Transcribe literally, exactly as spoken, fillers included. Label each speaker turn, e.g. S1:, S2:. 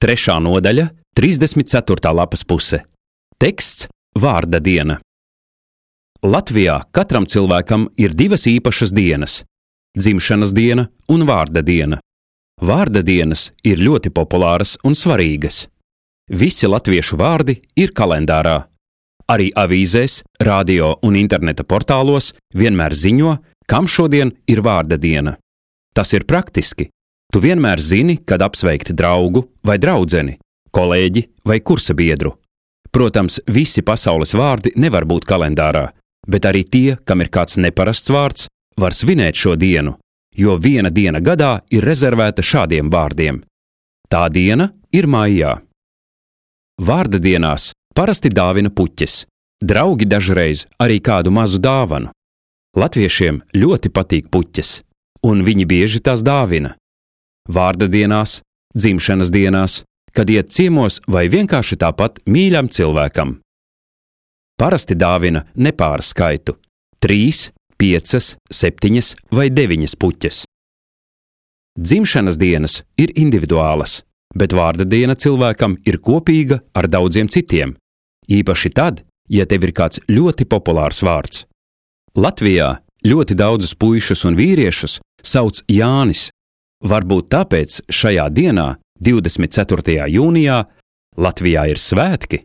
S1: trešā nodaļa, trīsdesmit ceturtā lapas puse. Teksts – vārda diena. Latvijā katram cilvēkam ir divas īpašas dienas – dzimšanas diena un vārda diena. Vārda dienas ir ļoti populāras un svarīgas. Visi latviešu vārdi ir kalendārā. Arī avīzēs, radio un interneta portālos vienmēr ziņo, kam šodien ir vārda diena. Tas ir praktiski. Tu vienmēr zini, kad apsveikt draugu vai draudzeni, kolēģi vai kursa biedru. Protams, visi pasaules vārdi nevar būt kalendārā, bet arī tie, kam ir kāds neparasts vārds, var svinēt šo dienu, jo viena diena gadā ir rezervēta šādiem vārdiem. Tā diena ir maijā. Vārda dienās parasti dāvina puķes. Draugi dažreiz arī kādu mazu dāvanu. Latviešiem ļoti patīk puķes, un viņi bieži tās dāvina. Vārda dienās, dzimšanas dienās, kad iet ciemos vai vienkārši tāpat mīļam cilvēkam. Parasti dāvina nepāra skaitu – trīs, piecas, septiņas vai deviņas puķes. Dzimšanas dienas ir individuālas, bet vārda diena cilvēkam ir kopīga ar daudziem citiem, īpaši tad, ja tev ir kāds ļoti populārs vārds. Latvijā ļoti daudzus puišus un vīriešus sauc Jānis. Varbūt tāpēc šajā dienā, divdesmit ceturtajā jūnijā, Latvijā ir svētki.